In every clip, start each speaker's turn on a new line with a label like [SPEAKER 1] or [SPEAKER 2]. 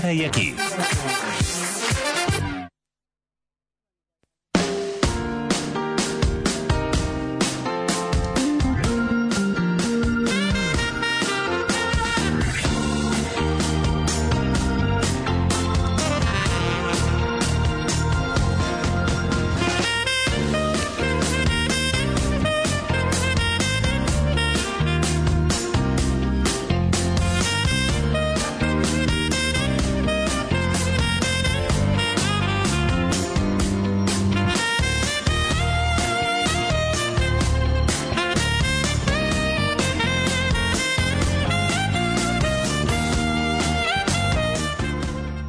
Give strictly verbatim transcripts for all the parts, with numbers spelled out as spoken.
[SPEAKER 1] Ara i Aquí.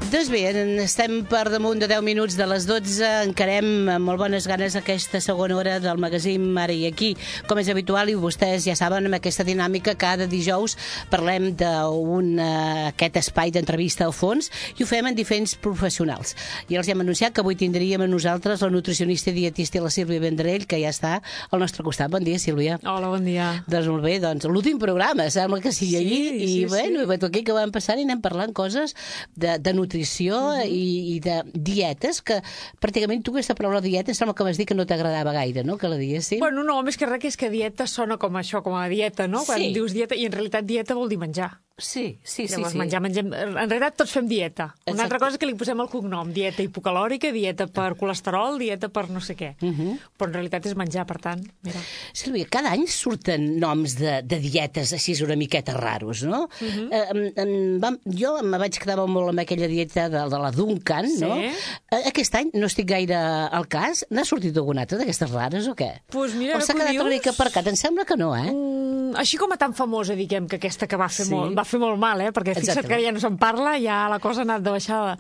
[SPEAKER 2] Doncs bé, estem per damunt de deu minuts de les dotze, encarem amb molt bones ganes aquesta segona hora del magazín Ara i Aquí. Com és habitual, i vostès ja saben, amb aquesta dinàmica, cada dijous parlem d'un aquest espai d'entrevista al fons i ho fem en diferents professionals. I els hem anunciat que avui tindríem a nosaltres la nutricionista i dietista la Sílvia Vendrell, que ja està al nostre costat. Bon dia, Sílvia.
[SPEAKER 3] Hola, bon dia.
[SPEAKER 2] Doncs molt bé, doncs l'últim programa, sembla que sigui allí,
[SPEAKER 3] sí,
[SPEAKER 2] i
[SPEAKER 3] sí,
[SPEAKER 2] bueno,
[SPEAKER 3] sí.
[SPEAKER 2] I aquí que vam passar i anem parlant coses de, de nutrició uh-huh. i, i de dietes, que pràcticament tu aquesta paraula dieta sembla que vas dir que no t'agradava gaire, no?, que la diguéssim.
[SPEAKER 3] Bueno, no, més que res que és que dieta sona com això, com a dieta, no? Quan
[SPEAKER 2] Sí.
[SPEAKER 3] dius dieta, i en realitat dieta vol dir menjar.
[SPEAKER 2] Sí, sí, sí.
[SPEAKER 3] Llavors,
[SPEAKER 2] sí.
[SPEAKER 3] menjar, mengem... En realitat tots fem dieta. Una
[SPEAKER 2] Exacte.
[SPEAKER 3] altra cosa és que li posem el cognom. Dieta hipocalòrica, dieta per colesterol, dieta per no sé què.
[SPEAKER 2] Uh-huh.
[SPEAKER 3] Però en realitat és menjar, per tant, mira.
[SPEAKER 2] Sílvia, cada any surten noms de, de dietes així una miqueta raros, no?
[SPEAKER 3] Uh-huh.
[SPEAKER 2] eh, em, em, vam, jo me vaig quedar molt amb aquella dieta de, de la Duncan,
[SPEAKER 3] Sí.
[SPEAKER 2] no? Eh, aquest any no estic gaire al cas. N'ha sortit alguna altra d'aquestes rares o què?
[SPEAKER 3] Pues mira,
[SPEAKER 2] o s'ha
[SPEAKER 3] que
[SPEAKER 2] quedat
[SPEAKER 3] dius...
[SPEAKER 2] una mica aparcat? Em sembla que no, eh?
[SPEAKER 3] Mm, així com a tan famosa, diguem, que aquesta que va fer,
[SPEAKER 2] Sí.
[SPEAKER 3] molt, va fer molt mal, eh? Perquè fixa't
[SPEAKER 2] Exactament.
[SPEAKER 3] que ja no se'n parla, ja la cosa ha anat de baixada.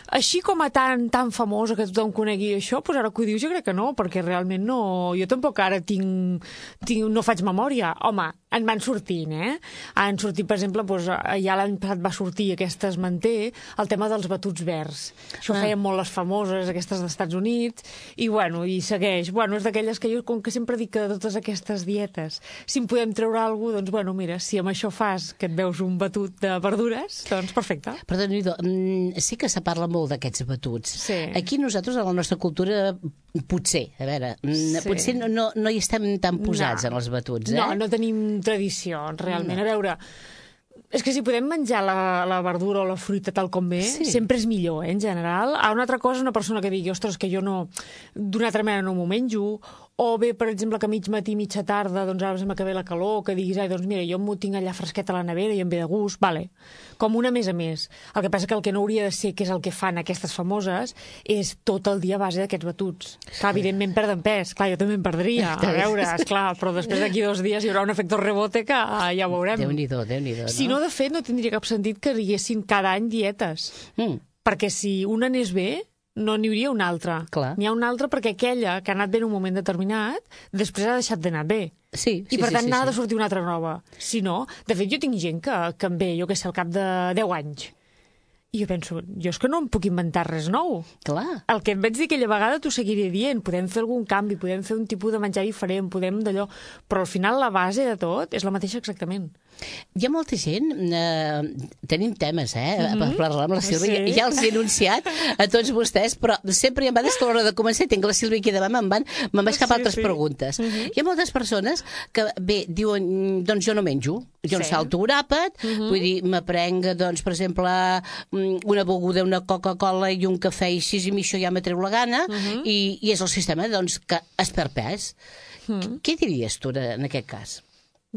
[SPEAKER 3] Així com a tan, tan famosa que tothom conegui això, doncs ara que ho dius jo crec que no, perquè realment no... Jo tampoc ara tinc... tinc no faig memòria. Home, en van sortint, eh? Han sortit, per exemple, doncs, ja l'any passat va sortir aquesta es manté, el tema dels batuts verds. Això
[SPEAKER 2] Ah.
[SPEAKER 3] feien molt les famoses, aquestes dels Estats Units, i bueno, i segueix. Bueno, és d'aquelles que jo, com que sempre dic que de totes aquestes dietes, si en podem treure alguna cosa, doncs bueno, mira, si amb això fas que et veus un batut de verdures, doncs perfecte.
[SPEAKER 2] Perdó, sí que se parla molt d'aquests batuts.
[SPEAKER 3] Sí.
[SPEAKER 2] Aquí nosaltres, a la nostra cultura, potser, a veure,
[SPEAKER 3] Sí.
[SPEAKER 2] potser no, no, no hi estem tan posats
[SPEAKER 3] No.
[SPEAKER 2] en els batuts, eh?
[SPEAKER 3] No, no tenim tradició, realment.
[SPEAKER 2] No.
[SPEAKER 3] A veure, és que si podem menjar la, la verdura o la fruita tal com ve,
[SPEAKER 2] Sí.
[SPEAKER 3] sempre és millor, eh, en general. A una altra cosa, una persona que digui, ostres, que jo no, d'una altra manera no m'ho menjo, o bé, per exemple, que mig matí, mitja tarda, doncs ara sembla que ve la calor, que diguis, ai, doncs mira, jo m'ho tinc allà fresquet a la nevera i em ve de gust, vale. Com una més a més. El que passa que el que no hauria de ser, que és el que fan aquestes famoses, és tot el dia a base d'aquests batuts. Clar, evidentment perden pes. Clar, jo també em perdria, a veure, esclar, però després d'aquí dos dies hi haurà un efecte rebote que ah, ja ho veurem.
[SPEAKER 2] Déu-n'hi-do, Déu-n'hi-do, no?
[SPEAKER 3] Si no, de fet, no tindria cap sentit que hi haguessin cada any dietes.
[SPEAKER 2] Mm.
[SPEAKER 3] Perquè si una anés bé, no n'hi hauria una altra.
[SPEAKER 2] Clar.
[SPEAKER 3] N'hi ha una altra perquè aquella que ha anat bé en un moment determinat, després ha deixat d'anar bé.
[SPEAKER 2] Sí, sí,
[SPEAKER 3] I per
[SPEAKER 2] sí,
[SPEAKER 3] tant
[SPEAKER 2] sí,
[SPEAKER 3] n'ha
[SPEAKER 2] sí.
[SPEAKER 3] de sortir una altra nova. Si no, de fet jo tinc gent que, que em ve, jo què sé, al cap de deu anys. I jo penso, jo és que no em puc inventar res nou.
[SPEAKER 2] Clar.
[SPEAKER 3] El que em vaig dir aquella vegada t'ho seguiré dient. Podem fer algun canvi, podem fer un tipus de menjar diferent, podem d'allò... Però al final la base de tot és la mateixa exactament.
[SPEAKER 2] Hi ha molta gent, eh, tenim temes, eh, mm-hmm. per parlar amb la Sílvia,
[SPEAKER 3] Sí.
[SPEAKER 2] ja els he anunciat a tots vostès, però sempre hi ha vegades que a l'hora de començar tinc la Sílvia aquí davant, me'n van, me'n vaig cap a
[SPEAKER 3] Sí,
[SPEAKER 2] altres
[SPEAKER 3] sí.
[SPEAKER 2] preguntes.
[SPEAKER 3] Mm-hmm.
[SPEAKER 2] Hi ha moltes persones que, bé, diuen, doncs jo no menjo, jo no
[SPEAKER 3] Sí.
[SPEAKER 2] salto un àpat,
[SPEAKER 3] Mm-hmm.
[SPEAKER 2] vull dir, m'aprenc, doncs, per exemple, una beguda, una Coca-Cola i un cafè i així, i a mi això ja m'atreu la gana,
[SPEAKER 3] Mm-hmm.
[SPEAKER 2] i, i és el sistema, doncs, que es perd pes.
[SPEAKER 3] Mm.
[SPEAKER 2] Què diries tu en aquest cas?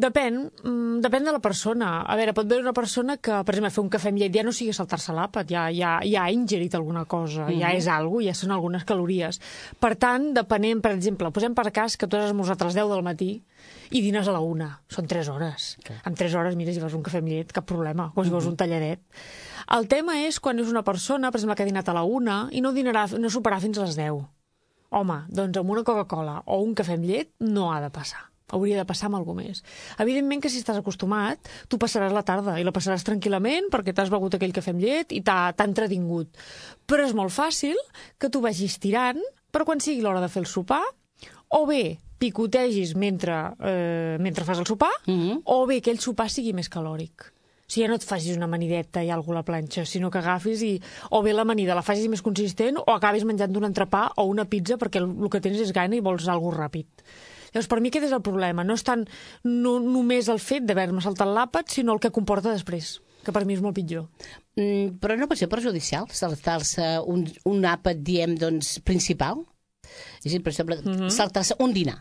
[SPEAKER 3] Depèn, mm, depèn de la persona. A veure, pot haver una persona que, per exemple, fer un cafè amb llet ja no sigui saltar-se l'àpat, ja, ja, ja ha ingerit alguna cosa, mm-hmm. ja és alguna cosa, ja són algunes calories. Per tant, depenent, per exemple, posem per cas que tu has esmorzat a les deu del matí i dines a la una. Són tres hores.
[SPEAKER 2] Okay.
[SPEAKER 3] En tres hores, mira, si vas un cafè amb llet, cap problema, o si vols un talladet. El tema és quan és una persona, per exemple, que ha dinat a la una i no dinarà, no superarà fins a les deu. Home, doncs amb una Coca-Cola o un cafè amb llet no ha de passar. Hauria de passar amb alguna més. Evidentment que si estàs acostumat, tu passaràs la tarda i la passaràs tranquil·lament perquè t'has begut aquell cafè amb llet i t'ha entretingut. Però és molt fàcil que tu vagis tirant per quan sigui l'hora de fer el sopar, o bé picotegis mentre, eh, mentre fas el sopar,
[SPEAKER 2] Mm-hmm.
[SPEAKER 3] o bé que el sopar sigui més calòric. O sigui, ja no et facis una amanideta i alguna a la planxa, sinó que agafis i o bé l'amanida la facis més consistent o acabis menjant un entrepà o una pizza perquè el, el que tens és gana i vols alguna ràpid. Llavors, per mi aquest és el problema. No és tant no, només el fet d'haver-me saltat l'àpat, sinó el que comporta després, que per mi és molt pitjor.
[SPEAKER 2] Mm, però no pot ser perjudicial saltar-se un, un àpat, diem, doncs, principal? És a dir, per exemple, mm -hmm. saltar-se un dinar.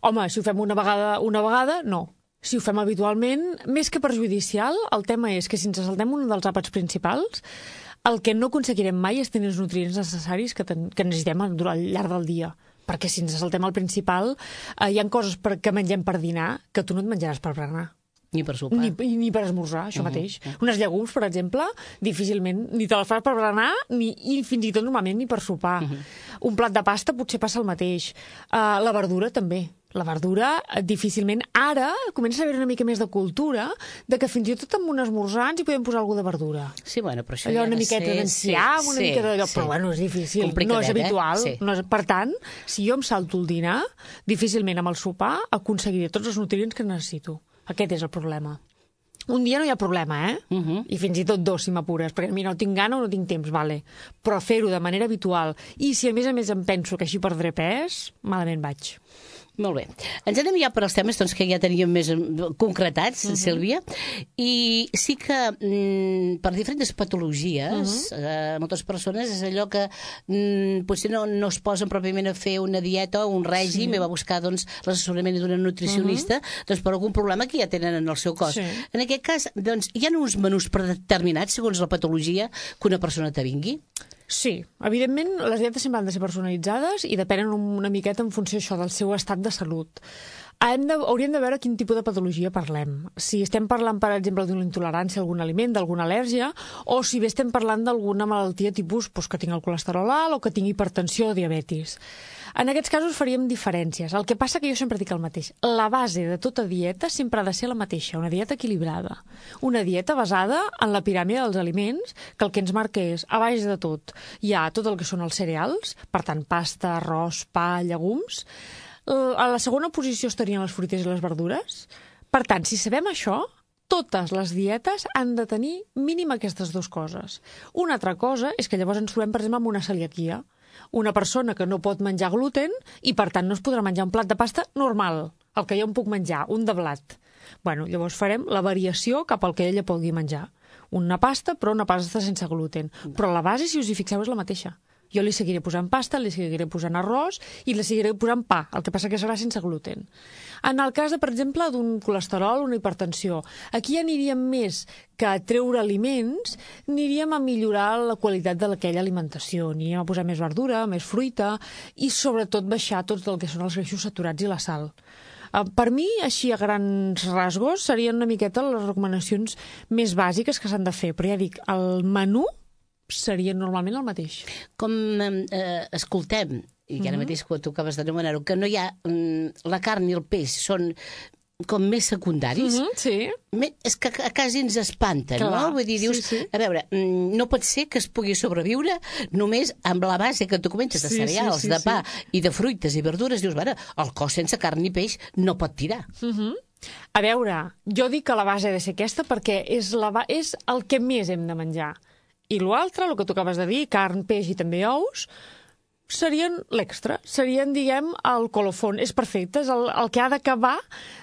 [SPEAKER 3] Home, si ho fem una vegada, una vegada, no. Si ho fem habitualment, més que perjudicial, el tema és que si ens saltem un dels àpats principals, el que no aconseguirem mai és tenir els nutrients necessaris que, ten, que necessitem al llarg del dia. Perquè si ens saltem el principal, eh, hi ha coses per, que mengem per dinar que tu no et menjaràs per berenar.
[SPEAKER 2] Ni per sopar.
[SPEAKER 3] Ni, ni per esmorzar, això uh -huh. mateix. Uh -huh. Unes llegums, per exemple, difícilment ni te les fas per berenar, ni, i fins i tot normalment ni per sopar. Uh -huh. Un plat de pasta potser passa el mateix. Uh, la verdura també. La verdura, difícilment, ara comença a haver una mica més de cultura de que fins i tot amb un esmorzar ens hi podem posar alguna de verdura.
[SPEAKER 2] Sí, bueno, però això
[SPEAKER 3] allò
[SPEAKER 2] ja
[SPEAKER 3] una miqueta
[SPEAKER 2] ser...
[SPEAKER 3] d'enciam,
[SPEAKER 2] sí,
[SPEAKER 3] una
[SPEAKER 2] sí,
[SPEAKER 3] mica d'allò,
[SPEAKER 2] sí.
[SPEAKER 3] però bueno, és difícil, no és habitual.
[SPEAKER 2] Eh? Sí.
[SPEAKER 3] No és... Per tant, si jo em salto el dinar, difícilment amb el sopar aconseguiré tots els nutrients que necessito. Aquest és el problema. Un dia no hi ha problema, eh? Uh -huh. I fins i tot dos, si m'apures, perquè mira, no tinc gana o no tinc temps, vale. Però fer-ho de manera habitual, i si a més a més em penso que així perdré pes, malament vaig.
[SPEAKER 2] Molt bé. Ens anem ja per als temes doncs, que ja teníem més concretats, uh -huh. Sílvia, i sí que mm, per diferents patologies, uh -huh. eh, moltes persones és allò que mm, potser no, no es posen pròpiament a fer una dieta o un règim, sí. i va buscar doncs, l'assessorament d'una nutricionista, uh -huh. doncs, per algun problema que ja tenen en el seu cos. Sí. En aquest cas, doncs, hi ha uns menús predeterminats segons la patologia que una persona te vingui?
[SPEAKER 3] Sí, evidentment les dietes sempre han de ser personalitzades i depenen una miqueta en funció això del seu estat de salut. Hem de, hauríem de veure quin tipus de patologia parlem. Si estem parlant, per exemple, d'una intolerància a algun aliment, d'alguna al·lèrgia, o si bé estem parlant d'alguna malaltia tipus doncs, que tingui el colesterol alt o que tingui hipertensió o diabetis. En aquests casos faríem diferències. El que passa que jo sempre dic el mateix. La base de tota dieta sempre ha de ser la mateixa, una dieta equilibrada. Una dieta basada en la piràmide dels aliments, que el que ens marca és, a baix de tot, hi ha tot el que són els cereals, per tant, pasta, arròs, pa, llegums. A la segona posició estarien les fruites i les verdures. Per tant, si sabem això, totes les dietes han de tenir mínim aquestes dues coses. Una altra cosa és que llavors ens trobem, per exemple, amb una celiaquia. Una persona que no pot menjar gluten i, per tant, no es podrà menjar un plat de pasta normal, el que jo em puc menjar, un de blat. Bueno, llavors farem la variació cap al que ella pugui menjar. Una pasta, però una pasta sense gluten. Però la base, si us hi fixeu, és la mateixa. Jo li seguiré posant pasta, li seguiré posant arròs i li seguiré posant pa, el que passa que serà sense gluten. En el cas, de, per exemple, d'un colesterol o una hipertensió, aquí aniríem més que a treure aliments, aniríem a millorar la qualitat d'aquella alimentació. Aniríem a posar més verdura, més fruita i, sobretot, baixar tot el que són els greixos saturats i la sal. Per mi, així a grans rasgos, serien una miqueta les recomanacions més bàsiques que s'han de fer. Però ja dic, el menú seria normalment el mateix.
[SPEAKER 2] Com eh, escoltem, i ara mateix quan tu acabes d'anomenar-ho, que no hi ha mm, la carn i el peix són com més secundaris,
[SPEAKER 3] mm -hmm, sí.
[SPEAKER 2] és que a quasi ens espanten,
[SPEAKER 3] Clar,
[SPEAKER 2] no? Vull dir, dius, sí, sí. a veure, no pot ser que es pugui sobreviure només amb la base que tu comentes de sí, cereals, sí, sí, de pa sí. i de fruites i verdures. Dius, bueno, el cos sense carn i peix no pot tirar.
[SPEAKER 3] Mm -hmm. A veure, jo dic que la base ha de ser aquesta perquè és, la ba és el que més hem de menjar. I l'altre, el que tu acabes de dir, carn, peix i també ous, serien l'extra, serien, diguem, el colofón. És perfecte, és el, el que ha d'acabar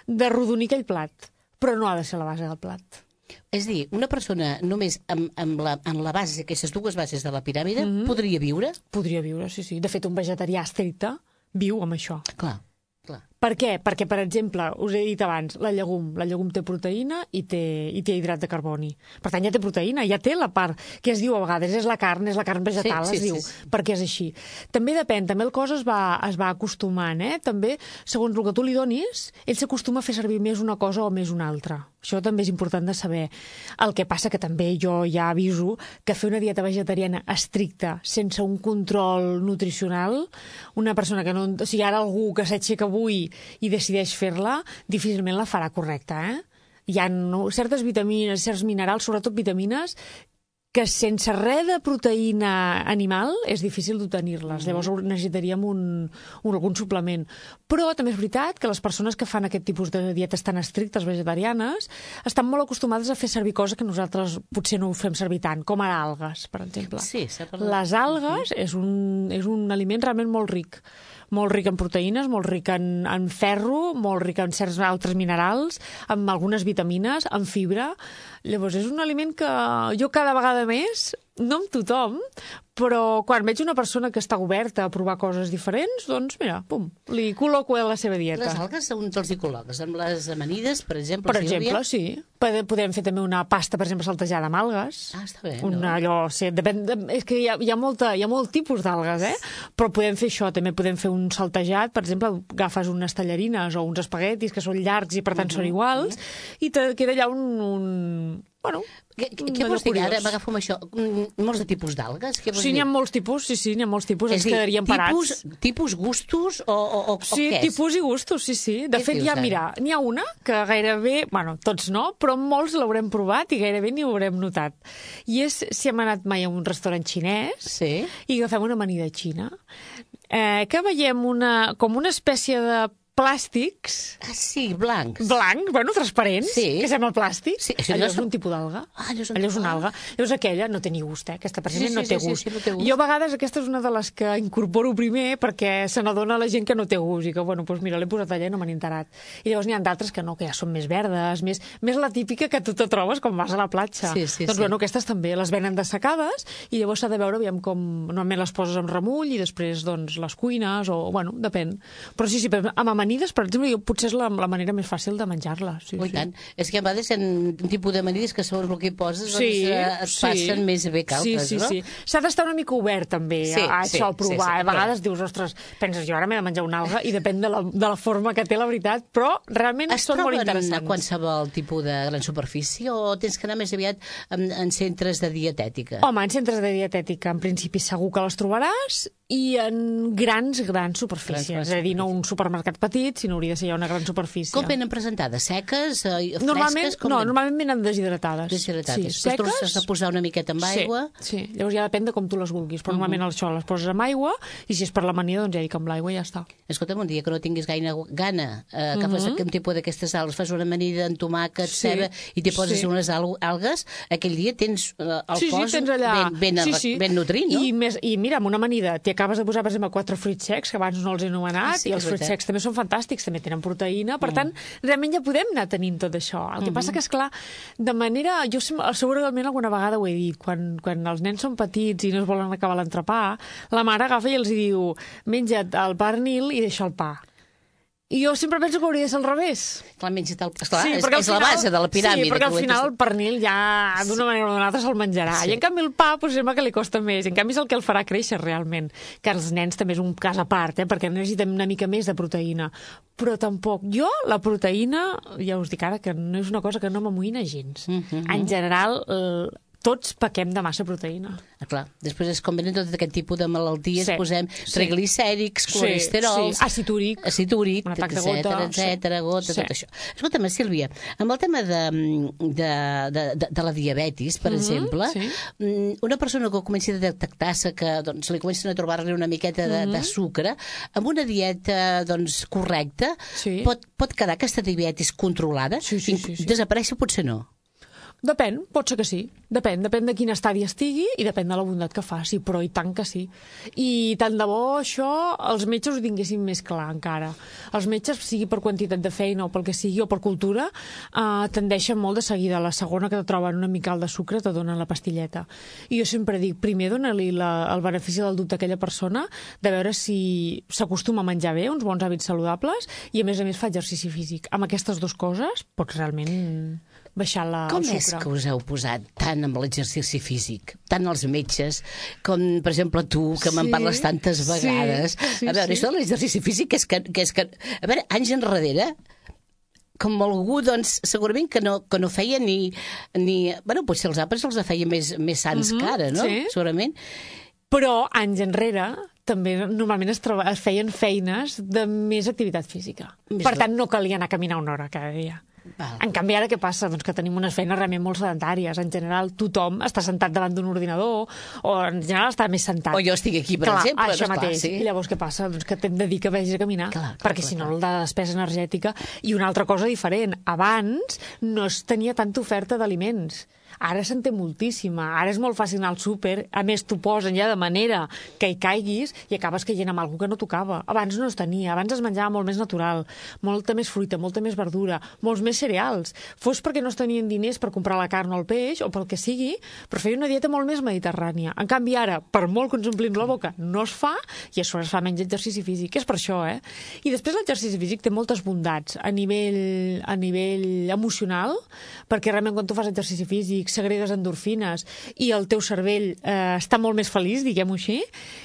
[SPEAKER 3] de rodonir aquell plat, però no ha de ser la base del plat.
[SPEAKER 2] És a dir, una persona només amb, amb la, en la base, aquestes dues bases de la piràmide, mm -hmm. podria viure?
[SPEAKER 3] Podria viure, sí, sí. De fet, un vegetarià estricte viu amb això.
[SPEAKER 2] Clar. Clar.
[SPEAKER 3] Per què? Perquè, per exemple, us he dit abans, la llegum. La llegum té proteïna i té, i té hidrat de carboni. Per tant, ja té proteïna, ja té la part que es diu a vegades, és la carn, és la carn vegetal, sí, sí, es diu, sí, sí. perquè és així. També depèn, també el cos es va, es va acostumant, eh? També, segons el que tu li donis, ell s'acostuma a fer servir més una cosa o més una altra. Això també és important de saber. El que passa que també jo ja aviso que fer una dieta vegetariana estricta, sense un control nutricional, una persona que no... O sigui, ara algú que s'aixeca avui i decideix fer-la, difícilment la farà correcta, eh? Hi ha no, certes vitamines, certs minerals, sobretot vitamines, que sense res de proteïna animal és difícil d'obtenir-les. Mm. Llavors necessitaríem un, un, algun suplement. Però també és veritat que les persones que fan aquest tipus de dietes tan estrictes vegetarianes estan molt acostumades a fer servir coses que nosaltres potser no ho fem servir tant, com ara algues, per exemple.
[SPEAKER 2] Sí,
[SPEAKER 3] les algues mm. és, un, és un aliment realment molt ric. Molt ric en proteïnes, molt ric en, en ferro, molt ric en certs altres minerals, amb algunes vitamines, en fibra. Llavors, és un aliment que jo cada vegada més, no amb tothom, però quan veig una persona que està oberta a provar coses diferents, doncs, mira, pum, li col·loco a la seva dieta.
[SPEAKER 2] Les algues on te'ls hi col·loques? Amb les amanides, per exemple?
[SPEAKER 3] Per exemple, sí. Podem fer també una pasta, per exemple, saltejada amb algues.
[SPEAKER 2] Ah, està bé,
[SPEAKER 3] una,
[SPEAKER 2] no?
[SPEAKER 3] Allò, sí, depèn, de, és que hi ha, hi, ha molta, hi ha molt tipus d'algues, eh? Però podem fer això, també podem fer un saltejat, per exemple, agafes unes tallarines o uns espaguetis que són llargs i per tant uh -huh. són iguals, i te queda allà un... un bueno,
[SPEAKER 2] què, què vols dir ara? M'agafo amb això. Molts de tipus d'algues?
[SPEAKER 3] Sí, n'hi ha molts tipus, sí, sí, n'hi ha molts tipus. Ens quedaríem parats.
[SPEAKER 2] Tipus, tipus gustos o, o, o
[SPEAKER 3] sí,
[SPEAKER 2] què és? Sí,
[SPEAKER 3] tipus i gustos, sí, sí. De
[SPEAKER 2] què
[SPEAKER 3] fet, ja, mira, n'hi ha una que gairebé, bueno, tots no, però molts l'haurem provat i gairebé ni ho haurem notat. I és si hem anat mai a un restaurant xinès
[SPEAKER 2] sí.
[SPEAKER 3] i agafem una amanida xina, eh, que veiem una, com una espècie de plàstics...
[SPEAKER 2] Ah, sí, blancs.
[SPEAKER 3] Blancs, bueno, transparents,
[SPEAKER 2] sí.
[SPEAKER 3] que sembla plàstic.
[SPEAKER 2] Sí,
[SPEAKER 3] allò és un tipus d'alga.
[SPEAKER 2] Ah, allò és, un...
[SPEAKER 3] allò és una alga. Llavors aquella no té ni gust, eh? Aquesta precisament
[SPEAKER 2] sí, sí,
[SPEAKER 3] no té
[SPEAKER 2] sí,
[SPEAKER 3] gust.
[SPEAKER 2] Sí, sí, no té gust.
[SPEAKER 3] Jo a vegades aquesta és una de les que incorporo primer perquè se n'adona la gent que no té gust i que, bueno, doncs mira, l'he posat allà i no m'han enterat. I llavors n'hi ha d'altres que no, que ja són més verdes, més, més la típica que tu te trobes quan vas a la platja.
[SPEAKER 2] Sí, sí,
[SPEAKER 3] doncs,
[SPEAKER 2] sí.
[SPEAKER 3] bueno, aquestes també les venen dessecades i llavors s'ha de veure, aviam com... Normalment les poses amb remull i després, doncs, les cuines o, bueno, depèn. Però sí, sí, amb amanides, per exemple, jo potser és la, la manera més fàcil de menjar-la. Sí,
[SPEAKER 2] oh,
[SPEAKER 3] sí.
[SPEAKER 2] tant. És que a vegades hi ha un tipus d'amanides que segons el que hi poses
[SPEAKER 3] sí,
[SPEAKER 2] doncs, eh, et
[SPEAKER 3] sí.
[SPEAKER 2] passen més bé que altres,
[SPEAKER 3] sí, sí,
[SPEAKER 2] no?
[SPEAKER 3] Sí, sí. S'ha d'estar una mica obert també
[SPEAKER 2] sí,
[SPEAKER 3] a
[SPEAKER 2] sí,
[SPEAKER 3] això, a provar.
[SPEAKER 2] Sí, sí,
[SPEAKER 3] a vegades dius, ostres, penses, jo ara m'he de menjar una alga i depèn de la, de la forma que té la veritat, però realment
[SPEAKER 2] es
[SPEAKER 3] són molt interessants.
[SPEAKER 2] Es troben a qualsevol tipus de gran superfície o tens que anar més aviat en, en centres de dietètica?
[SPEAKER 3] Home, en centres de dietètica en principi segur que les trobaràs i en grans, grans superfícies. Grans, és a dir, no un supermercat petit, sinó hauria de ser ja una gran superfície.
[SPEAKER 2] Com venen presentades? Seques? Eh,
[SPEAKER 3] normalment,
[SPEAKER 2] fresques? Com
[SPEAKER 3] no,
[SPEAKER 2] venen?
[SPEAKER 3] normalment venen deshidratades.
[SPEAKER 2] Deshidratades.
[SPEAKER 3] Sí,
[SPEAKER 2] seques. Tu has de posar una miqueta amb
[SPEAKER 3] sí,
[SPEAKER 2] aigua.
[SPEAKER 3] Sí, llavors ja depèn de com tu les vulguis. Però uh -huh. normalment això les poses amb aigua i si és per l'amanida, doncs ja dic amb l'aigua i ja està.
[SPEAKER 2] Escolta'm, un dia que no tinguis gaire gana, eh, agafes uh -huh. un tipus d'aquestes algues, fas una amanida amb tomàquet, sí, ceba, i t'hi poses sí. unes algues, aquell dia tens eh, el
[SPEAKER 3] sí,
[SPEAKER 2] cos
[SPEAKER 3] sí, tens allà...
[SPEAKER 2] ben, ben,
[SPEAKER 3] sí, sí.
[SPEAKER 2] ben nutrit, no?
[SPEAKER 3] I, més, I mira, amb una amanida t'hi acabes de posar, per exemple, quatre fruits secs, que abans no els he anomenat, ah, sí, i els fruits secs també són fantàstics, també tenen proteïna, per mm. tant, realment ja podem anar tenint tot això. El que mm -hmm. passa que, esclar, de manera... Jo segurament alguna vegada ho he dit, quan, quan els nens són petits i no es volen acabar l'entrepà, la mare agafa i els diu, menja't el pernil i deixa el pa. I jo sempre penso que hauria de ser al revés.
[SPEAKER 2] Clar, menja't el... Esclar,
[SPEAKER 3] sí,
[SPEAKER 2] és, és
[SPEAKER 3] final,
[SPEAKER 2] la base de la piràmide.
[SPEAKER 3] Sí, perquè al final el pernil ja d'una manera o d'una altra se'l menjarà. Sí. I en canvi el pa pues, sembla que li costa més. I en canvi és el que el farà créixer realment. Que els nens també és un cas a part, eh, perquè necessitem una mica més de proteïna. Però tampoc. Jo, la proteïna, ja us dic ara, que no és una cosa que no m'amoïna gens. Mm -hmm. En general... Eh, tots pequem de massa proteïna.
[SPEAKER 2] Ah, clar. Després és com venen tot aquest tipus de malalties,
[SPEAKER 3] sí,
[SPEAKER 2] posem
[SPEAKER 3] sí.
[SPEAKER 2] triglicèrics, colesterols...
[SPEAKER 3] Sí, sí. Àcid úric,
[SPEAKER 2] àcid úric,
[SPEAKER 3] etcètera,
[SPEAKER 2] etcètera, gota,
[SPEAKER 3] sí.
[SPEAKER 2] tot això. Escolta'm, Sílvia, amb el tema de, de, de, de, de la diabetis, per mm -hmm, exemple, sí. una persona que comenci a detectar-se que doncs, li comencen a trobar-li una miqueta de, mm -hmm. de sucre, amb una dieta doncs, correcta, sí. pot, pot quedar aquesta diabetis controlada?
[SPEAKER 3] Sí, sí, sí, sí.
[SPEAKER 2] Desaparèixer potser no.
[SPEAKER 3] Depèn, pot ser que sí. Depèn, depèn de quin estadi estigui i depèn de la bondat que faci, però i tant que sí. I tant de bo això els metges ho tinguessin més clar encara. Els metges, sigui per quantitat de feina o pel que sigui, o per cultura, eh, tendeixen molt de seguida. La segona que te troben una mica alt de sucre te donen la pastilleta. I jo sempre dic, primer dona-li la, el benefici del dubte a aquella persona de veure si s'acostuma a menjar bé, uns bons hàbits saludables, i a més a més fa exercici físic. Amb aquestes dues coses pots realment baixar la,
[SPEAKER 2] com
[SPEAKER 3] el sucre.
[SPEAKER 2] És que us heu posat tant amb l'exercici físic, tant els metges, com, per exemple, tu, que sí, me'n parles tantes vegades.
[SPEAKER 3] Sí, sí,
[SPEAKER 2] a veure,
[SPEAKER 3] sí.
[SPEAKER 2] això de l'exercici físic és que, que és que... A veure, anys enrere, com algú, doncs, segurament que no, que no feia ni... ni bueno, potser els àpats els feia més, més sants uh -huh, que ara, no?
[SPEAKER 3] Sí.
[SPEAKER 2] Segurament.
[SPEAKER 3] Però, anys enrere, també normalment es, troba, es feien feines de més activitat física. Més per tant, no calia anar a caminar una hora cada dia.
[SPEAKER 2] Val.
[SPEAKER 3] En canvi, ara què passa? Doncs que tenim unes feines realment molt sedentàries. En general, tothom està sentat davant d'un ordinador o en general està més sentat.
[SPEAKER 2] O jo estic aquí, per
[SPEAKER 3] clar,
[SPEAKER 2] exemple.
[SPEAKER 3] Això
[SPEAKER 2] doncs,
[SPEAKER 3] mateix.
[SPEAKER 2] Clar, sí.
[SPEAKER 3] I llavors què passa? Doncs que t'hem de dir que vagis a caminar.
[SPEAKER 2] Clar, clar,
[SPEAKER 3] perquè
[SPEAKER 2] clar,
[SPEAKER 3] si no,
[SPEAKER 2] clar.
[SPEAKER 3] la despesa energètica... I una altra cosa diferent. Abans no es tenia tanta oferta d'aliments. Ara se'n té moltíssima. Ara és molt fàcil anar al súper. A més, t'ho posen ja de manera que hi caiguis i acabes caient amb alguna que no tocava. Abans no es tenia. Abans es menjava molt més natural. Molta més fruita, molta més verdura, molts més cereals. Fos perquè no es tenien diners per comprar la carn o el peix o pel que sigui, però feia una dieta molt més mediterrània. En canvi, ara, per molt que ens omplim la boca, no es fa i a sobre es fa menys exercici físic. És per això, eh? I després l'exercici físic té moltes bondats a nivell, a nivell emocional, perquè realment quan tu fas exercici físic segregues endorfines i el teu cervell eh, està molt més feliç, diguem-ho així.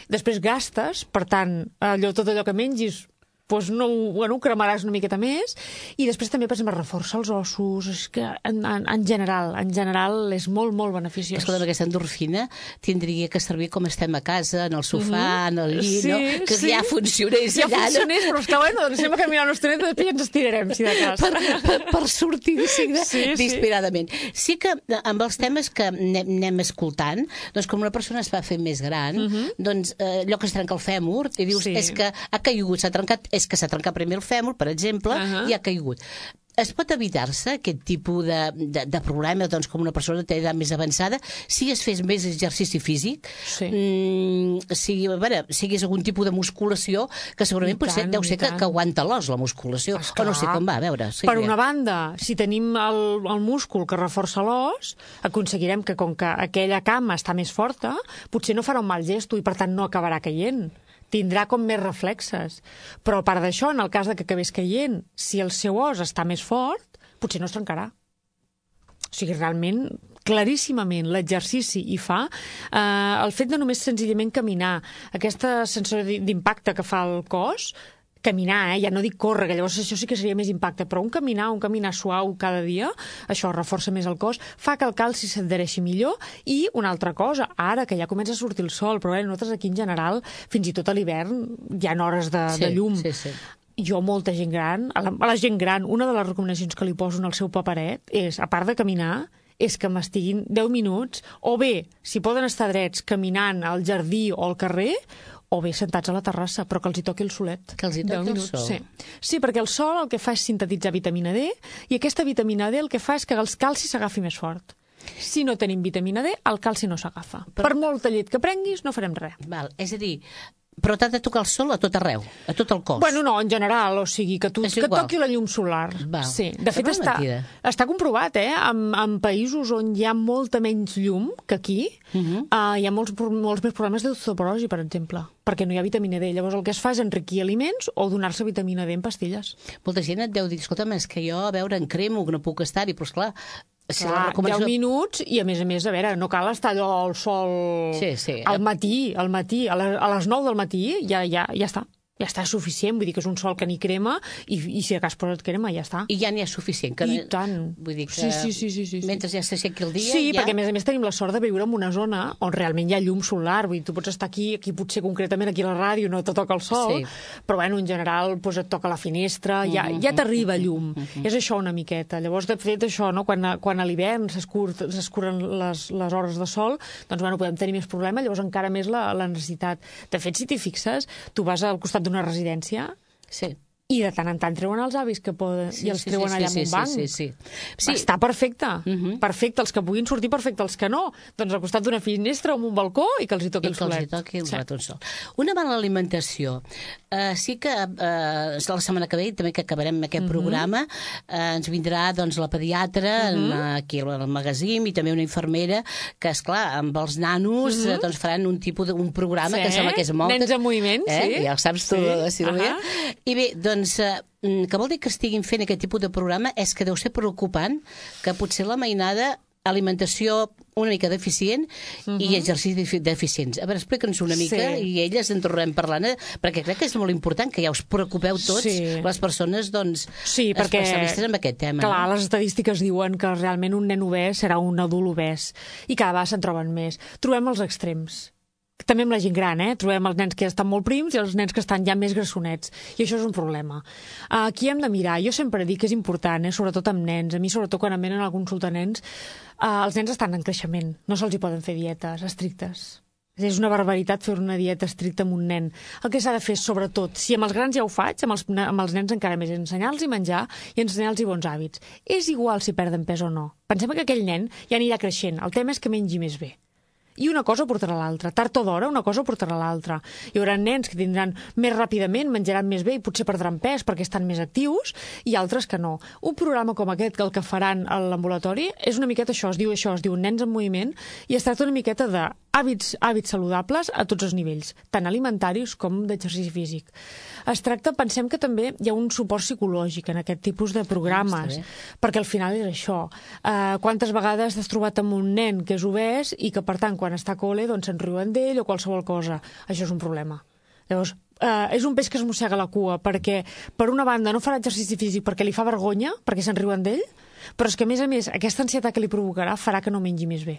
[SPEAKER 3] Després gastes, per tant, allò, tot allò que mengis doncs no, bueno, ho cremaràs una miqueta més i després també, per exemple, reforça els ossos, és que en, en, en general, en general és molt, molt beneficiós.
[SPEAKER 2] Escolta, aquesta endorfina tindria que servir com estem a casa, en el sofà, mm -hmm. en el llit,
[SPEAKER 3] sí,
[SPEAKER 2] no? Que
[SPEAKER 3] sí.
[SPEAKER 2] ja funcionés
[SPEAKER 3] ja
[SPEAKER 2] allà. Ja
[SPEAKER 3] funcionés, no? Però és que, bueno, doncs anem a caminar una estoneta i després ja ens estirarem, si de cas.
[SPEAKER 2] Per, per, per sortir d'insigne
[SPEAKER 3] sí, sí.
[SPEAKER 2] d'inspiradament. Sí que amb els temes que anem, anem escoltant, doncs com una persona es va fer més gran, mm -hmm. doncs eh, allò que es trenca el fèmur, i dius,
[SPEAKER 3] sí.
[SPEAKER 2] és que ha caigut, s'ha trencat, és que s'ha trencat primer el fèmur, per exemple, uh -huh. i ha caigut. Es pot evitar-se aquest tipus de, de, de problema, doncs, com una persona té edat més avançada, si es fes més exercici físic,
[SPEAKER 3] sí.
[SPEAKER 2] mm, si, a veure, si hi hagués algun tipus de musculació, que segurament
[SPEAKER 3] tant,
[SPEAKER 2] potser deu ser que, que aguanta l'os, la musculació,
[SPEAKER 3] esclar.
[SPEAKER 2] o no sé com va, a veure. Sí,
[SPEAKER 3] per
[SPEAKER 2] ja.
[SPEAKER 3] una banda, si tenim el, el múscul que reforça l'os, aconseguirem que, com que aquella cama està més forta, potser no farà un mal gesto i, per tant, no acabarà caient. Tindrà com més reflexes. Però a part d'això, en el cas de que acabés caient, si el seu os està més fort, potser no es trencarà. O sigui, realment, claríssimament, l'exercici hi fa. Eh, el fet de només senzillament caminar, aquesta sensació d'impacte que fa el cos, caminar, eh? Ja no dic córrer, que llavors això sí que seria més impacte, però un caminar, un caminar suau cada dia, això reforça més el cos, fa que el calci s'adhereixi millor i una altra cosa, ara que ja comença a sortir el sol, però bé, nosaltres aquí en general, fins i tot a l'hivern, hi ha hores de,
[SPEAKER 2] sí,
[SPEAKER 3] de llum.
[SPEAKER 2] Sí, sí.
[SPEAKER 3] Jo, molta gent gran, a la, a la gent gran, una de les recomanacions que li poso en el seu paperet és, a part de caminar, és que m'estiguin deu minuts, o bé, si poden estar drets, caminant al jardí o al carrer, o bé sentats a la terrassa, però que els hi toqui el solet.
[SPEAKER 2] Que els hi toqui el sol.
[SPEAKER 3] Sí. sí, perquè el sol el que fa és sintetitzar vitamina D i aquesta vitamina D el que fa és que el calci s'agafi més fort. Si no tenim vitamina D, el calci no s'agafa. Però... Per molta llet que prenguis, no farem res.
[SPEAKER 2] Val. És a dir, però t'ha de tocar el sol a tot arreu, a tot el cos.
[SPEAKER 3] Bueno, no, en general, o sigui, que, tu, que toqui la llum solar.
[SPEAKER 2] Val.
[SPEAKER 3] Sí. De fet, està, està comprovat, eh? En, en països on hi ha molta menys llum que aquí, uh -huh. uh, hi ha molts, molts més problemes d'osteoporosi, per exemple, perquè no hi ha vitamina D. Llavors el que es fa és enriquir aliments o donar-se vitamina D en pastilles.
[SPEAKER 2] Molta gent et deu dir, escolta'm, és que jo, a veure, en cremo, que no puc estar-hi, però esclar,
[SPEAKER 3] si Clar, recomanació... deu minuts i, a més a més, a veure, no cal estar allò al sol
[SPEAKER 2] sí, sí.
[SPEAKER 3] al matí, al matí, a les, a les nou del matí ja, ja, ja està. Ja està suficient, vull dir que és un sol que ni crema i, i si de cas posa't crema, ja està.
[SPEAKER 2] I ja n'hi ha suficient. Que...
[SPEAKER 3] I tant.
[SPEAKER 2] Vull dir que
[SPEAKER 3] sí, sí, sí, sí, sí.
[SPEAKER 2] mentre ja s'aixequi el dia...
[SPEAKER 3] Sí,
[SPEAKER 2] ja...
[SPEAKER 3] perquè a més a més tenim la sort de viure en una zona on realment hi ha llum solar, vull dir, tu pots estar aquí, aquí potser concretament aquí a la ràdio no te toca el sol, sí. però bueno, en general doncs et toca la finestra, ja, ja t'arriba llum. Mm-hmm. És això una miqueta. Llavors, de fet, això, no? quan, a, quan a l'hivern s'escuren les, les hores de sol, doncs bueno, podem tenir més problema, llavors encara més la, la necessitat. De fet, si t'hi fixes, tu vas al costat d'una residència.
[SPEAKER 2] Sí.
[SPEAKER 3] I de tant en tant treuen els avis que poden, sí, i els
[SPEAKER 2] sí,
[SPEAKER 3] treuen
[SPEAKER 2] sí,
[SPEAKER 3] allà
[SPEAKER 2] sí,
[SPEAKER 3] en un banc.
[SPEAKER 2] Sí, sí, sí. sí.
[SPEAKER 3] Està perfecte. Uh
[SPEAKER 2] -huh.
[SPEAKER 3] Perfecte. Els que puguin sortir, perfecte. Els que no, doncs al costat d'una finestra o en un balcó i que els hi toqui
[SPEAKER 2] I
[SPEAKER 3] el solet.
[SPEAKER 2] I que els hi toqui el sí. rato el sol. Una mala alimentació. Uh, sí que uh, la setmana que ve, també que acabarem aquest uh -huh. programa, uh, ens vindrà doncs, la pediatra uh -huh. en, aquí al magazín i també una infermera que, esclar, amb els nanos uh -huh. uh, doncs faran un tipus d'un programa
[SPEAKER 3] sí.
[SPEAKER 2] que sembla que és molt...
[SPEAKER 3] Nens en moviment,
[SPEAKER 2] eh?
[SPEAKER 3] sí.
[SPEAKER 2] Ja ho saps tu,
[SPEAKER 3] sí.
[SPEAKER 2] Sílvia. Uh -huh. I bé, doncs... Uh, que vol dir que estiguin fent aquest tipus de programa és que deu ser preocupant que potser la mainada alimentació una mica deficient uh -huh. i exercicis deficients. A veure, explica'ns una mica sí. i elles en tornarem parlant, eh? Perquè crec que és molt important que ja us preocupeu tots, sí. les persones doncs,
[SPEAKER 3] sí, perquè,
[SPEAKER 2] especialistes en aquest tema.
[SPEAKER 3] Clar,
[SPEAKER 2] no?
[SPEAKER 3] Les estadístiques diuen que realment un nen obès serà un adult obès i cada vegada se'n troben més. Trobem els extrems. també amb la gent gran, eh? Trobem els nens que estan molt prims i els nens que estan ja més grassonets. I això és un problema. Aquí hem de mirar. Jo sempre dic que és important, eh? Sobretot amb nens. A mi, sobretot quan em venen a consultar nens, eh, els nens estan en creixement. No se'ls hi poden fer dietes estrictes. És una barbaritat fer una dieta estricta amb un nen. El que s'ha de fer, sobretot, si amb els grans ja ho faig, amb els, amb els nens encara més, ensenyar-los a menjar i ensenyar-los bons hàbits. És igual si perden pes o no. Pensem que aquell nen ja anirà creixent. El tema és que mengi més bé. I una cosa portarà l'altra. Tard o d'hora, una cosa portarà l'altra. Hi haurà nens que tindran més ràpidament, menjaran més bé i potser perdran pes perquè estan més actius, i altres que no. Un programa com aquest, que el que faran a l'ambulatori, és una miqueta això, es diu això, es diu Nens en Moviment, i es tracta una miqueta de hàbits, hàbits saludables a tots els nivells, tant alimentaris com d'exercici físic. Es tracta, pensem que també hi ha un suport psicològic en aquest tipus de programes, perquè al final és això. Uh, quantes vegades t'has trobat amb un nen que és obès i que, per tant, quan està a col·le, doncs se'n riuen d'ell o qualsevol cosa. Això és un problema. Llavors, uh, és un peix que es mossega la cua, perquè, per una banda, no farà exercici físic perquè li fa vergonya, perquè se'n riuen d'ell, però és que, a més a més, aquesta ansietat que li provocarà farà que no mengi més bé.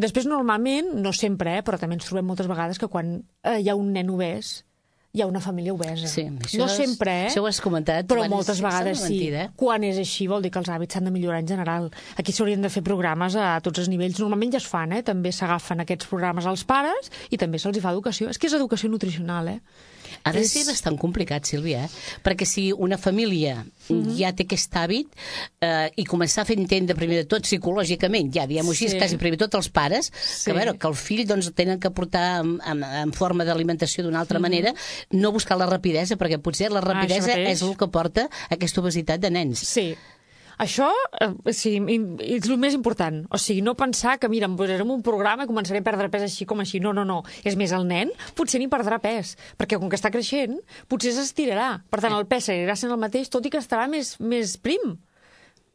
[SPEAKER 3] Després, normalment, no sempre, eh, però també ens trobem moltes vegades que quan eh, hi ha un nen obès, hi ha una família obesa.
[SPEAKER 2] Sí,
[SPEAKER 3] no sempre, eh?
[SPEAKER 2] Això ho has comentat.
[SPEAKER 3] Però moltes vegades sí.
[SPEAKER 2] Mentida.
[SPEAKER 3] Quan és així vol dir que els hàbits s'han de millorar en general. Aquí s'haurien de fer programes a tots els nivells. Normalment ja es fan, eh? També s'agafen aquests programes als pares i també se'ls hi fa educació. És que és educació nutricional, eh?
[SPEAKER 2] Ha de
[SPEAKER 3] és...
[SPEAKER 2] ser bastant complicat, Sílvia, eh? Perquè si una família mm-hmm. ja té aquest hàbit eh, i començar a fer entendre primer de tot psicològicament, ja diguem-ho així, sí. quasi primer tot els pares, sí. que, a veure, que el fill doncs, tenen que portar en, en, en forma d'alimentació d'una altra mm-hmm. manera, no buscar la rapidesa, perquè potser la rapidesa ah, és el que porta aquesta obesitat de nens.
[SPEAKER 3] Sí. Això eh, sí, és el més important. O sigui, no pensar que, mira, em posaré en un programa i començaré a perdre pes així com així. No, no, no. És més, el nen potser ni perdrà pes, perquè com que està creixent, potser s'estirarà. Per tant, el pes seguirà sent el mateix, tot i que estarà més, més prim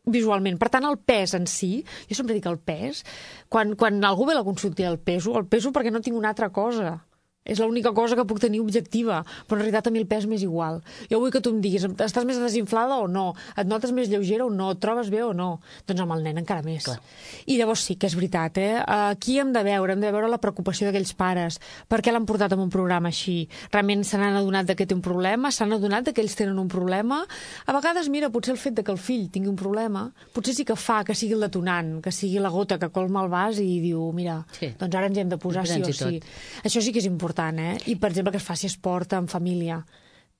[SPEAKER 3] visualment. Per tant, el pes en si, jo sempre dic el pes, quan, quan algú ve a la consulta el peso, el peso perquè no tinc una altra cosa. És l'única cosa que puc tenir objectiva, però en realitat a mi el pes m'és igual. Jo vull que tu em diguis, estàs més desinflada o no? Et notes més lleugera o no? Et trobes bé o no? Doncs amb el nen encara més. Clar. I llavors sí que és veritat, eh? Aquí hem de veure, hem de veure la preocupació d'aquells pares. Per què l'han portat en un programa així? Realment se n'han adonat que té un problema? S'han adonat que ells tenen un problema? A vegades, mira, potser el fet de que el fill tingui un problema, potser sí que fa que sigui el detonant, que sigui la gota que colma el vas i diu, mira, sí. doncs ara ens hem de posar sí o sí. Això sí que és important. Eh? I, per exemple, que es faci esport en família,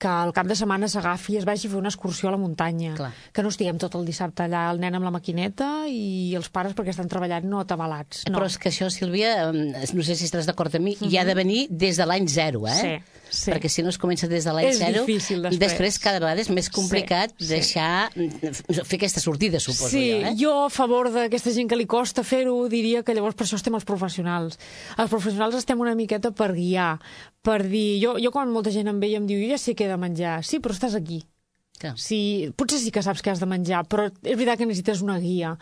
[SPEAKER 3] que al cap de setmana s'agafi i es vagi a fer una excursió a la muntanya. Clar. Que no estiguem tot el dissabte allà, el nen amb la maquineta i els pares perquè estan treballant no atabalats. No.
[SPEAKER 2] Però és que això, Sílvia, no sé si estaràs d'acord amb mi, uh-huh. hi ha de venir des de l'any zero, eh? Sí. Sí. Perquè si no es comença des de l'any zero,
[SPEAKER 3] després.
[SPEAKER 2] després cada vegada és més complicat sí, deixar sí. fer aquesta sortida, suposo
[SPEAKER 3] sí,
[SPEAKER 2] jo. Eh?
[SPEAKER 3] Jo a favor d'aquesta gent que li costa fer-ho diria que llavors per això estem els professionals. Els professionals estem una miqueta per guiar, per dir... Jo, jo quan molta gent em ve i em diu jo ja sé què he de menjar, sí, però estàs aquí. Sí, potser sí que saps què has de menjar, però és veritat que necessites una guia.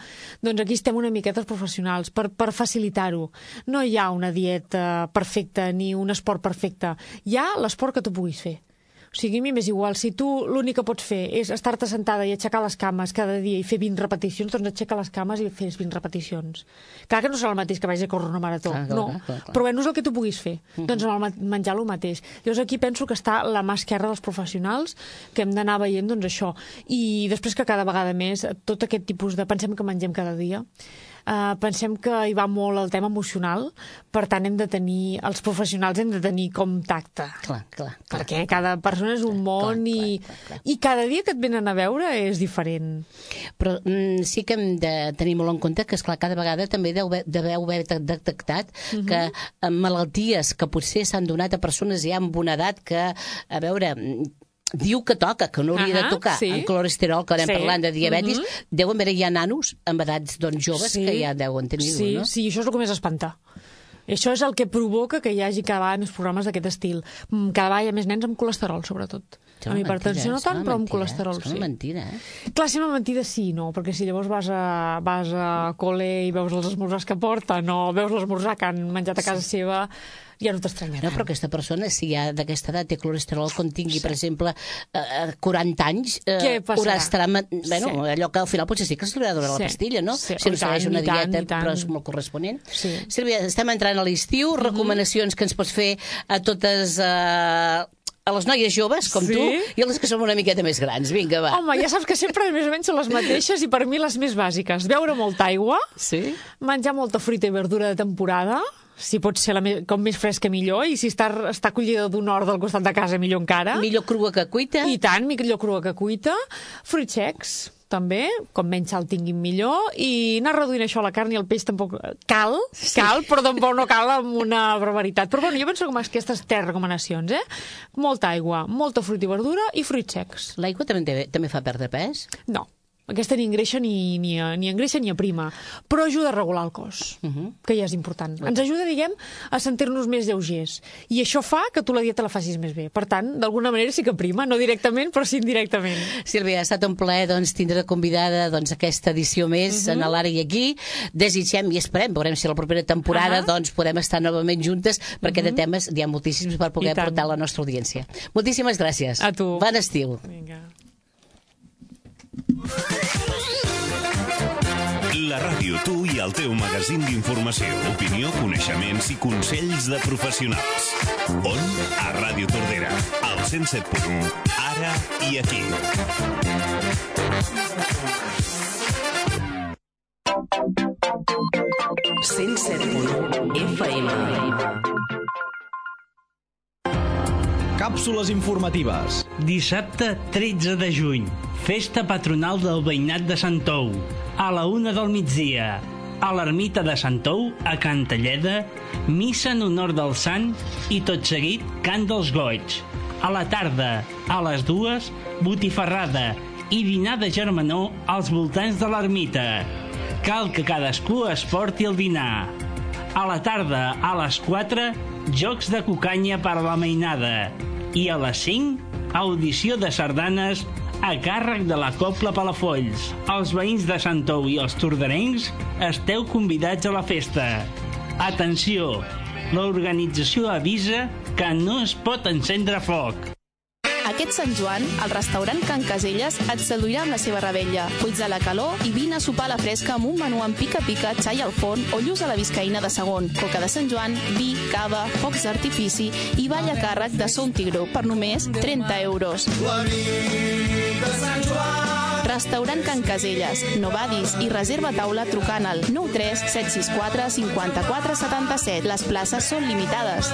[SPEAKER 3] Doncs aquí estem una miqueta els professionals per, per facilitar-ho. No hi ha una dieta perfecta ni un esport perfecte. Hi ha l'esport que tu puguis fer. O sigui, a mi m'és igual. Si tu l'únic que pots fer és estar-te sentada i aixecar les cames cada dia i fer vint repeticions, doncs aixeca les cames i fes vint repeticions. Clar que no serà el mateix que vagis a córrer una marató. Clar, clar, no, clar, clar. Però bueno, és el que tu puguis fer. Mm-hmm. Doncs amb el menjar el mateix. Llavors aquí penso que està la mà esquerra dels professionals, que hem d'anar veient doncs això. I després que cada vegada més tot aquest tipus de... Pensem que mengem cada dia. Uh, pensem que hi va molt el tema emocional, per tant hem de tenir, els professionals hem de tenir com tacte.
[SPEAKER 2] Clar, clar, clar.
[SPEAKER 3] Perquè cada persona és un món clar, i, clar, clar, clar. i cada dia que et venen a veure és diferent.
[SPEAKER 2] Però mm, sí que hem de tenir molt en compte que, esclar, cada vegada també deveu haver detectat mm-hmm. que malalties que potser s'han donat a persones ja amb una edat que, a veure... diu que toca, que no hauria uh-huh, de tocar sí. en colesterol, que anem sí. parlant de diabetis, uh-huh. deuen haver ja nanos amb edats doncs, joves sí. que ja deuen tenir-ho,
[SPEAKER 3] sí,
[SPEAKER 2] no?
[SPEAKER 3] Sí, això és el que més espanta. Això és el que provoca que hi hagi cada vegada més programes d'aquest estil. Cada vegada hi ha més nens amb colesterol, sobretot. Amb hipertensió no tant, però amb colesterol, sí.
[SPEAKER 2] És una mentida, eh?
[SPEAKER 3] Clar, si una mentida sí, no, perquè si llavors vas a, vas a col·le i veus els esmorzars que porten, o veus l'esmorzar que han menjat a casa sí. seva, ja no t'estranyarà.
[SPEAKER 2] No, però aquesta persona, si ja d'aquesta edat té colesterol, quan tingui, per exemple, quaranta anys, eh, haurà estarà... Bueno, sí. allò que al final potser sí que se li ha de donar sí. la pastilla, no? Sí. Si no segueix una dieta, tant, però és molt corresponent. Sí. Sílvia, estem entrant a l'estiu, mm-hmm. recomanacions que ens pots fer a totes... Eh, a les noies joves, com sí? tu, i a les que som una miqueta més grans. Vinga, va.
[SPEAKER 3] Home, ja saps que sempre més o menys són les mateixes i per mi les més bàsiques. Beure molta aigua, sí? Menjar molta fruita i verdura de temporada, si pot ser la me com més fresca millor, i si està, està collida d'un hort del costat de casa millor encara.
[SPEAKER 2] Millor crua que cuita.
[SPEAKER 3] I tant, millor crua que cuita. Fruits secs, també, com menys sal tinguin millor, i anar reduint això, la carn i el peix tampoc cal, sí. cal, però tampoc no cal amb una barbaritat. Però bueno, jo penso que aquestes tres recomanacions, eh? Molta aigua, molta fruita i verdura i fruits secs.
[SPEAKER 2] L'aigua també, també fa perdre pes?
[SPEAKER 3] No. Aquesta ni engreixa ni, ni, ni engreixa ni aprima, però ajuda a regular el cos, uh-huh. que ja és important. Ens ajuda, diguem, a sentir-nos més lleugers. I això fa que tu la dieta la facis més bé. Per tant, d'alguna manera sí que aprima, no directament, però sí indirectament.
[SPEAKER 2] Sílvia, ha estat un plaer doncs, tindre convidada doncs, aquesta edició més uh-huh. en l'Ara i aquí. Desitgem i esperem, veurem si la propera temporada uh-huh. doncs, podem estar novament juntes, perquè uh-huh. de temes hi ha moltíssims per poder portar a la nostra audiència. Moltíssimes gràcies.
[SPEAKER 3] A tu.
[SPEAKER 2] Bon estiu.
[SPEAKER 3] Vinga.
[SPEAKER 1] La ràdio, tu i el teu magazín d'informació, opinió, coneixements i consells de professionals. On? A Ràdio Tordera, al cent set punt u, ara i aquí.
[SPEAKER 4] cent set punt u F M.
[SPEAKER 5] Càpsules informatives.
[SPEAKER 6] Dissabte tretze de juny, festa patronal del veïnat de Sant Tou. A la una del migdia, a l'ermita de Sant Tou, a Cantalleda, missa en honor del sant i tot seguit cant dels goigs. A la tarda, a les dues, botifarrada i dinar de germanor als voltants de l'ermita. Cal que cadascú es porti el dinar. A la tarda, a les quatre, jocs de cucanya per a la mainada. I a les cinc, audició de sardanes a càrrec de la Cobla Palafolls. Els veïns de Sant Tou i els torderencs esteu convidats a la festa. Atenció, l'organització avisa que no es pot encendre foc.
[SPEAKER 7] Aquest Sant Joan, el restaurant Can Caselles et seduirà amb la seva rebella. Fuig de la calor i vine a sopar a la fresca amb un menú amb pica-pica, xai al forn o lluç a la biscaïna de segon. Coca de Sant Joan, vi, cava, focs d'artifici i ball a càrrec de Son Tigró per només trenta euros. La nit de Sant Joan. Restaurant Can Caselles. No badis i reserva taula trucant al nou tres set sis quatre cinquanta-quatre setanta-set. Les places són limitades.